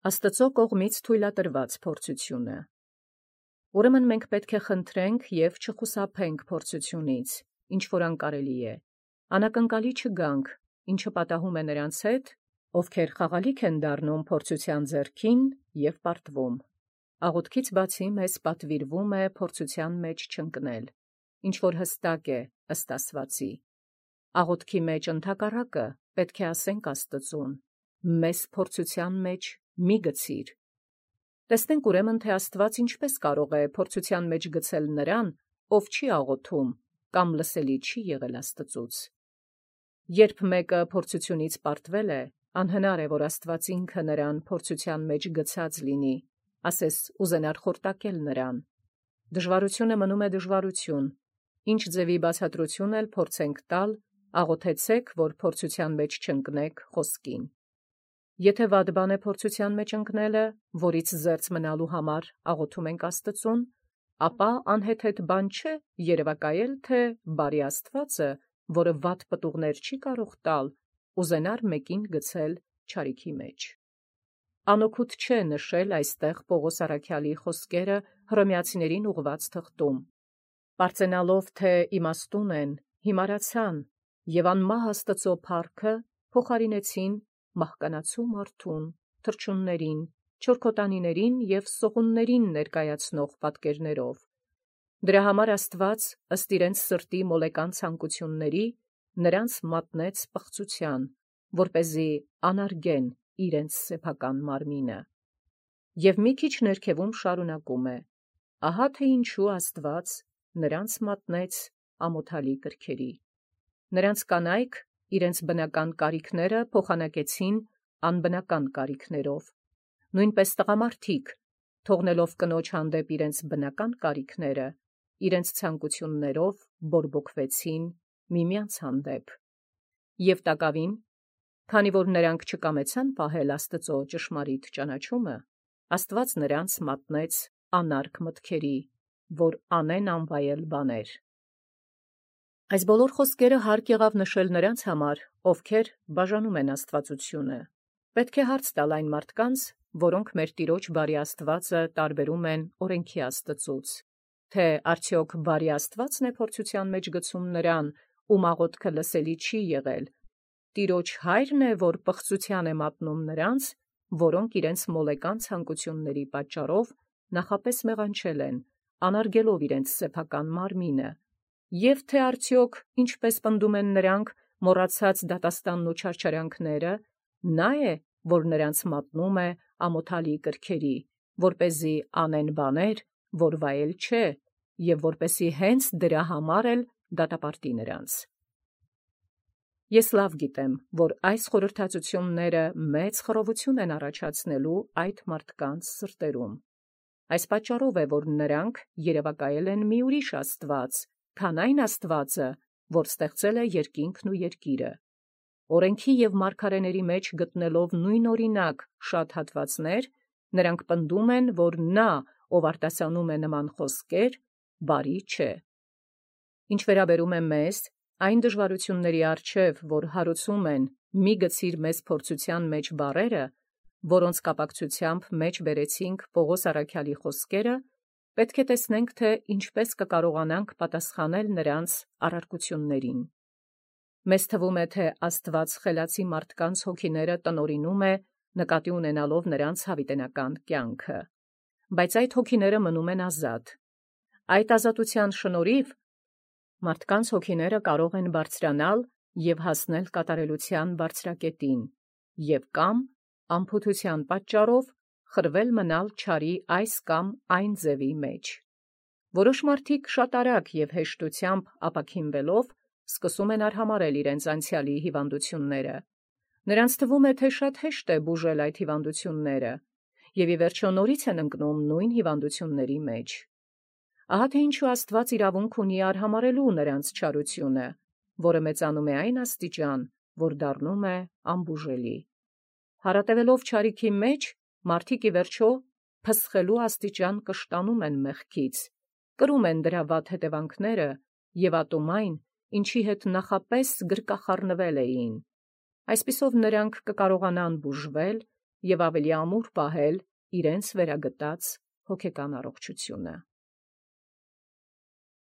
Աստծո կողմից թույլատրված փորձութիւնը։ Ուրեմն մենք պետք է խնդրենք եւ չխուսափենք փորձութիւնից, ինչ որ անկարելի է, անակնկալի չգանք, ինչը պատահում է նրանց հետ, ովքեր խաղալիք են դառնում փորձութեան ձեռքին եւ պարտվում։ Աղոթքից բացի մեզ պատվիրվում է փորձութեան մեջ չընկնել, ինչ որ հստակ է ըստ Աստուածի։ Աղոթքի մեջ ընդհակառակը պետք է ասենք Աստծուն. մեզ փորձութեան մեջ մի գցիր։ Տեսնենք ուրեմն թե Աստված ինչպես կարող է փորձութեան մեջ գցել նրան, ով չի աղոթում կամ լսելի չի եղել Աստծուց։ Երբ մեկը փորձութիւնից պարտվել է, անհնար է, որ Աստված ինքը նրան փորձութեան մեջ գցած լինի, ասես ուզենար խորտակել նրան։ Դժվարությունը մնում է դժվարություն, ինչ ձևի բացատրություն էլ փորձենք տալ, աղոթեցեք, որ փորձութեան մեջ չընկնեք խոսքին։ Եթե վատ բան է փորձութեան մեջ ընկնելը, որից զերծ մնալու համար աղոթում ենք Աստծուն, ապա անհեթեթ բան չէ երևակայել, թե բարի Աստվածը, որը վատ պտուղներ չի կարող տալ, ուզենար մեկին գցել չարիքի մեջ։ Անօգուտ չէ նշել այստեղ Պողոս առաքյալի խոսքերը Հռոմեացիներին ուղված թղթում. «Պարծենալով թե իմաստուն են, հիմարացան եւ անմահ Աստծո փառքը փոխարինեցին մահկանացու մարդուն, թռչուններին, չորքոտանիներին եւ սողուններին ներկայացնող պատկերներով։ Դրա համար Աստված ըստ իրենց սրտի մոլեկան ցանկությունների նրանց մատնեց պղծութեան, որպեսզի անարգեն իրենց սեփական մարմինը»։ Եվ մի քիչ ներքևում շարունակում է. «Ահա թե ինչու Աստված նրանց մատնեց ամոթալի կրքերի։ Նրանց կանայք իրենց բնական կարիքները փոխանակեցին անբնական կարիքներով, նույնպես տղամարդիկ, թողնելով կնոջ հանդեպ իրենց բնական կարիքները, իրենց ցանկություններով բորբոքվեցին միմյանց հանդեպ։ Եվ տակավին, քանի որ նրանք չկամեցան պահել Աստծո ճշմարիտ ճանաչումը, Աստված նրանց մատնեց անարգ մտքերի, որ անեն անվայել բաներ»։ Այս բոլոր խոսքերը հարկ եղավ նշել նրանց համար, ովքեր բաժանում են աստվածությունը։ Պետք է հարց տալ այն մարդկանց, որոնք մեր Տիրոջ բարի Աստվածը տարբերում են օրենքի Աստծուց, թե արդյոք բարի Աստվածն է փորձութեան մեջ գցում նրան, ում աղոթքը լսելի չի եղել, Տիրոջ Հայրն է, որ պղծութեան է մատնում նրանց, որոնք իրենց մոլեկան ցանկությունների պատճառով նախապես մեղանչել են, անարգելով իրենց սեփական մարմինը, և թե արդյոք, ինչպես պնդում են նրանք, մոռացած դատաստանն ու չարչարանքները, նա է, որ նրանց մատնում է ամոթալի կրքերի, որպեսզի անեն բաներ, որ վայել չէ, և որպեսզի հենց դրա համար էլ դատապարտի նրանց։ Ես լավ գիտեմ, որ այս խորհրդածությունները մեծ խռովություն են առաջացնելու այդ մարդկանց սրտերում։ Այս պատճառով է, որ նրանք երևակայել են մի ուրիշ Աստված, քան այն Աստվածը, որ ստեղծել է երկինքն ու երկիրը։ Օրենքի և մարգարեների մեջ գտնելով նույն օրինակ շատ հատվածներ, նրանք պնդում են, որ նա, ով արտասանում է նման խոսքեր, բարի չէ։ Ինչ վերաբերում է մեզ, այն դժվարությունների առջև, որ հարուցում են «մի գցիր մեզ փորձութեան մեջ» բառերը, որոնց կապակցությամբ մեջ բերեցինք Պողոս առաքյալի խոսքերը, պետք է տեսնենք, թե ինչպես կկարողանանք պատասխանել նրանց առարկություններին։ Մեզ թվում է, թե Աստված խելացի մարդկանց հոգիները տնօրինում է, նկատի ունենալով նրանց հավիտենական կյանքը, բայց այդ հոգիները մնում են ազատ։ Այդ ազատության շնորհիվ մարդկանց հոգիները կարող են բարձրանալ և հասնել կատարելության բարձրակետին և կամ անփութության պատճառով խրվել մնալ չարի այս կամ այն ձևի մեջ։ Որոշ մարդիկ շատ արագ և հեշտությամբ ապաքինվելով սկսում են արհամարհել իրենց անցյալի հիվանդությունները։ Նրանց թվում է, թե շատ հեշտ է բուժել այդ հիվանդությունները, և ի վերջո նորից են ընկնում նույն հիվանդությունների մեջ։ Ահա թե ինչու Աստված իրավունք ունի արհամարհելու նրանց չարությունը, որը մեծանում է այն աստիճան, որ դառնում է անբուժելի։ Հարատևելով չարիքի մեջ, մարդիկ ի վերջո փսխելու աստիճան կշտանում են մեղքից, կրում են դրա վատ հետևանքները և ատում այն, ինչի հետ նախապես գրկախառնվել էին։ Այսպիսով նրանք կկարողանան բուժվել և ավելի ամուր պահել իրենց վերագտած հոգեկան առողջությունը։